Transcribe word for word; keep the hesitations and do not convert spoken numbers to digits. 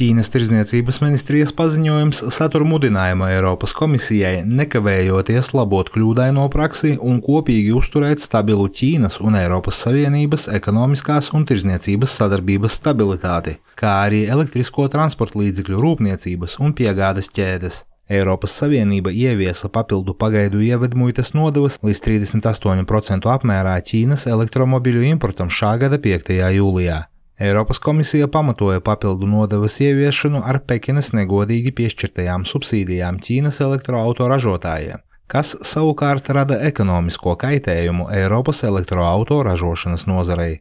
Ķīnas tirdzniecības ministrijas paziņojums satur mudinājumu Eiropas komisijai nekavējoties labot kļūdaino praksi un kopīgi uzturēt stabilu Ķīnas un Eiropas Savienības ekonomiskās un tirdzniecības sadarbības stabilitāti, kā arī elektrisko transporta līdzekļu rūpniecības un piegādes ķēdes. Eiropas Savienība ieviesa papildu pagaidu ievedmuitas nodevas līdz trīsdesmit astoņu procentu apmērā Ķīnas elektromobiļu importam šā gada piektajā jūlijā. Eiropas komisija pamatoja papildu nodevas ieviešanu ar Pekinas negodīgi piešķirtajām subsīdijām Ķīnas elektroautoražotājiem, kas savukārt rada ekonomisko kaitējumu Eiropas elektroautoražošanas nozarei.